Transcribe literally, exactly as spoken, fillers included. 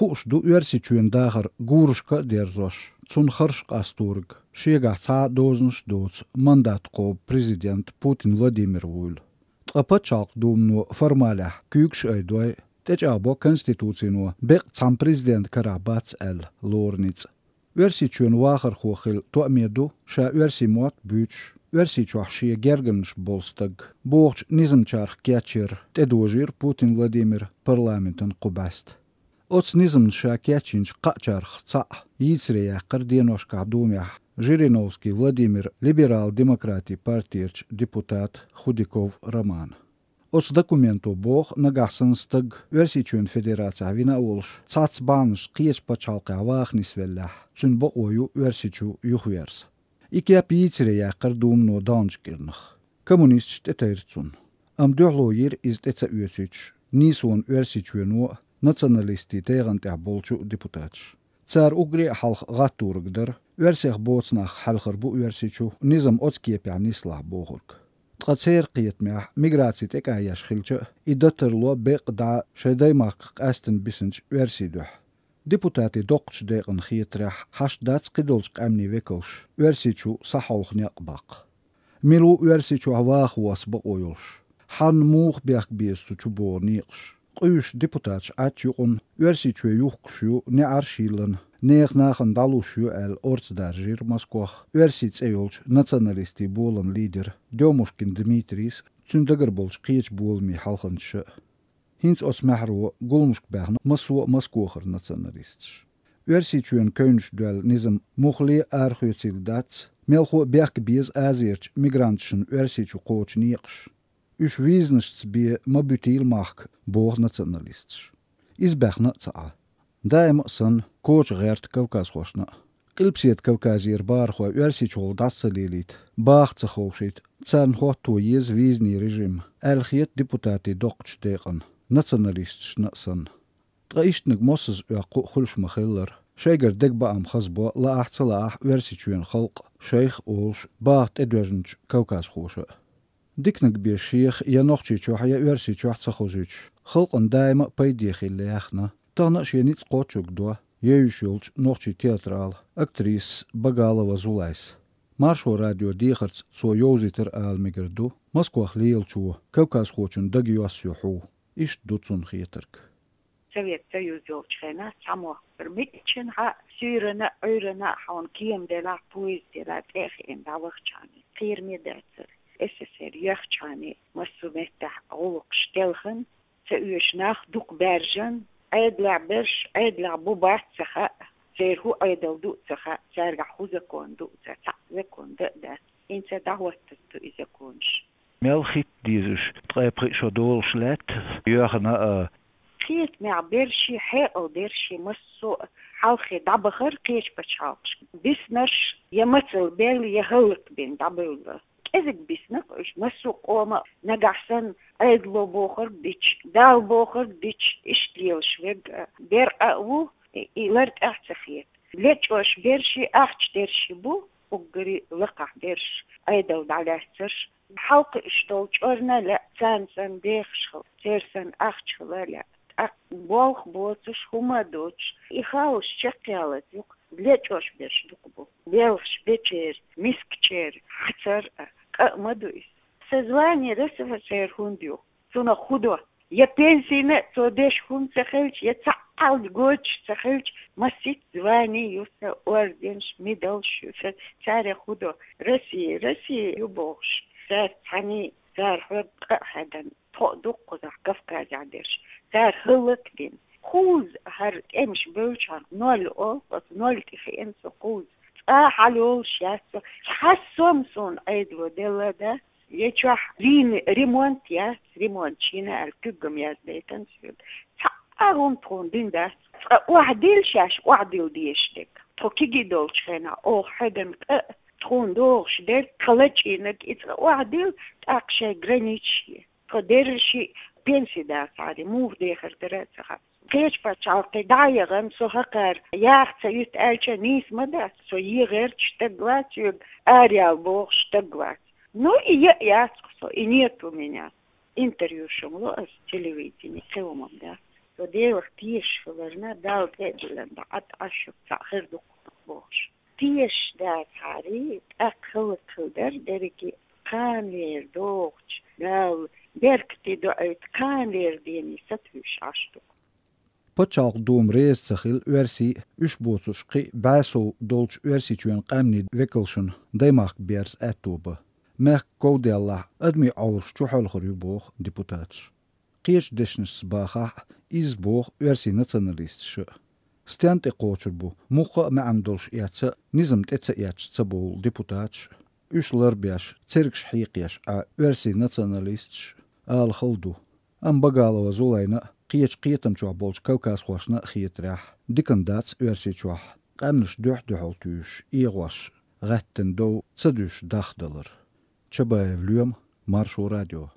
Хууш ду Оьрсийчоьнан дахар гурашка а дерзош, цунна харш къасторг, шегахь цхьа а дозанаш а доцу мандат кхобу президент Путин Владимир вуйла. Ткъа Пачхьалкхан Думано формалехь куьйгаш айдой, тӀечӀагӀбо Конституцино беккъа цхьана президентан карахь бац аьлла лору ницкъ. Оьрсийчоьнан вахархо хила тоаме ду, ша оьрсийн мотт буьйцуш, Оьрсийчохь шен гергарнаш болу стаг бохучу низамчарах кечъяр тӀедожийра Путин Владимира парламентан кху бӀаьста. Оцу низамна ша кечйинчу кхаъчарах цхьаъ йийцаре яьккхира деношкахь Думехь Жириновский Владимира либерал-демократийн партерчу депутата Худяков Романа. Оцу документо боху, нагахь санна стаг Оьрсийчоьнан Федерацехь вина а волуш, цхьацца бахьанашца кхечу пачхьалкхехь ваха нисвеллехь, цуьнан бакъо ю Оьрсийчу юхаверза. И кеп йийцаре яьккхира Думано даханчу кӀирнах. Коммунисташа тӀетайра цунна. Амма дуьхьало йира иза тӀе ца оьцуьйтуш, нийсонан Оьрсийчоьно а, националистийн тӀегӀан тӀехь болчу а депутаташа. Цара уггаре а хьалха гӀатторг дара, оьрсех боцу нах хьаьлхар бу Оьрсийчу, низам оцу кепехь нислахь бохург. Ткъа церан кхетамехь, миграци тӀекӀаеш хилча а, и дан тарло беккъа дӀа шайн даймахках къаьстина бисинчу оьрсийн дуьхьа. Депутатийн доккхачу декъана хетарехь, хьашт дац кхидолчу къаьмнийн векалш Оьрсийчу схьахьовха некъ баккха. Мила ву Оьрсийчохь ваха воса бакъо йолуш? Хьанна муха бехк беза цу чу богӀу некъаш? Къуьйсуш депутаташ Ӏачу юкъана Оьрсийчоь юхкуш ю, неӀарш а йиллина, нехан нахана дӀалуш ю аьлла, орца даржийра Москох оьрсийн цӀе йолчу националистийн болам лидера Дёмушкин Дмитрийс а, цуьнан дагара болчу кхечу боламийн хьалханчаша а. ХӀинца оцу маьхьаро гуламашка баьхна массо а Москохара националисташ. Оьрсийчоьнан кевнаш доьлла низам муххале а арахоьцийла дац, мелхо а бехк беза Азерчу мигранташна Оьрсийчу кхочу некъаш. Уьш визанашца бен ма буьтийла махка, боху националисташа. Иза баьхна а ца Ӏа. Даима а санна, коча гӀерта кавказхошна а. Къилбаседа Кавказера бахархой Оьрсийчухула дӀаса ца лелийта, баха ца ховшийта, царна хӀотто еза визанийн режим, аьлла хета депутатийн доккхачу декъана, националисташна а санна. Ткъа ишттаниг моссаза оьккху а хуьлуш ма-хиллара, шайгара дегабаам хазбо, лаахь а ца лаахь а, Оьрсийчоьнан халкъ, шайх а олуш, баха тӀедоьжначу кавказхоша а. Диканиг бен шех я Нохчийчохь, я Оьрсийчохь ца хозуьйтуш, халкъана даима а пайде хилла яьхна, тахана а шен ницкъ кхочург до евзаш йолчу нохчийн театрала актрисас Багалова Зулайс. Маршо радион дехарца цо йовзийтира ала мегар ду, Москвахь лелачо кавказхочун дага йоссайо хьуна. Иштта ду цунна хетарг. Совет Союз йолчу хенахь цхьа мохк бара. Миччанхьа суьйранна а, Ӏуьйранна а хьуна кема делахь, поезд делахь, тӀе а хиъна дӀавахчахьана, кхераме дацара. СССР йоьхчахьана, массо а меттехь гӀуллакхаш телхина, ца оьшу нах дукха баьржина, Ӏедалехь берш, Ӏедалехь бу бац ца хаьа, церан хӀун Ӏедал ду а ца хаьа, цаьргахь хӀун закон ду а ца, цхьаъ закон дан а дац. ХӀинца дӀахӀоттаза ду и законаш. Мел хӀитта деза уьш, ткъе пхиъ шо долуш лаьтта, йоьхна а. Кхетамехь берш, хьекъал берш, массо а хьалххе дӀабахара кхечу пачхьалкхашка. Биснарш я мацалла бевлла, я хӀаллакбина дӀабевлла. КӀезиг бисна-кх уьш, массо а къоман, нагахь санна Ӏедало бохург дича, Дала бохург дича, иштта лелаш верг а, беркъа а ву, и, и лар тӀаьхьа ца хета. Лечкъош берш, ахча дерш бу, уггаре лакхахь берш, Ӏедал дӀалаьцнарш. Хьалкхуьуш долу чкъурна а лаьа, царна санна дехаш хила, церан санна ахча хила а лаьа. ТӀаккха болх боцуш, хӀума а доцуш, и хаалаш чекхъялаза ю-кх, лечкъош берш дукха бу. Белхаш бечеран, мискачеран хьацар а, къа а ма ду иза. Сан звани РСФСР хӀунда ю? Цунах хӀун до? Я пенсина а цо деш хӀума ца хилча, я цхьаъ а гойтуш ца хилча, масийтта звани ю сан, орденаш, медалш ю сан, царех хӀун до? Россия, Россия ю бохуш, цаьрца цхьаьний, цара хьоьга къа а хьедина, тхо а ду-кх кхузахь Кавказехь дерш, цара хӀаллакдина. Кхузза хӀара тӀемаш бевлчхьана, ноль олу, оцу ноль тӀе хиъна со кхузза. Цкъа а хьалайолуш яц со, хьассом суна Ӏедало делла дац. Я чохь лийна ремонт яц, ремонт шина аьлла куьг-м яздайтина соьга. Цхьа а хӀума тхуна дина дац. Цкъа охьадилла шаьш охьадилла дезаш дерг. Тхо кегий долчу хенахь оха хьедина къа а, тхуна догӀуш дерг, тхан лачкъийнарг, и цкъа охьадилла, тӀаккха шайн границаш е. Тхо дерриш а пенси дацахьара, муха дехар дара а ца хаьа. Кхечу пачхьалкхе дӀа а яхана, со хӀокхара яха ца юьту аьлча а, нийса ма дац, со ен гӀерташ стаг вац, соьга араяла бохуш стаг вац. Ну, и яа яц-кх со, и нет у меня. Интервью шуна ло аса телевидение, кхин хӀума-м дац. Со Делах тешаш хиларна, Далла тӀе а диллина, дӀа Ӏаш цхьаъ хир ду-кх бохуш. Тешаш дацахьара, тӀаккха хӀаллакьхилар дерриге, кханалера дохучу Далла беркате доуьйту кханалера дене сатуьйсуш Ӏаш ду. Пачхьалкхан Дума реза ца хилла оьрсий, уьш боцурш кхин а бӀе сов долчу Оьрсийчоьнан къаьмнийн векалшна даймахка берза аьтто бан. Мехкан ков деллахь, адамийн Ӏовраш чухьоьлхур ю, боху депутаташа. Кхечу дешнашца бахахь а, изза боху оьрсийн националисташа. Стенна тӀе кхочур бу, муьлхха а маьӀна долуш эцца а, низам тӀе ца эцча ца бовлу депутаташ а. Уьш ларбеш, цергаш хьекхош Ӏа оьрсийн националисташ а, ала хала ду. Амма Багалова Зулайна а, кхечу кхетам чохь болчу кавказхошна а хетарехь, диканна дац Оьрсийчохь къаьмнаш дуьхь-дуьхьал туьйсуш, эгӀош, гӀаьттина дов ца дуьсуш дахдалар. Чабаев Лоьма, Маршо радио.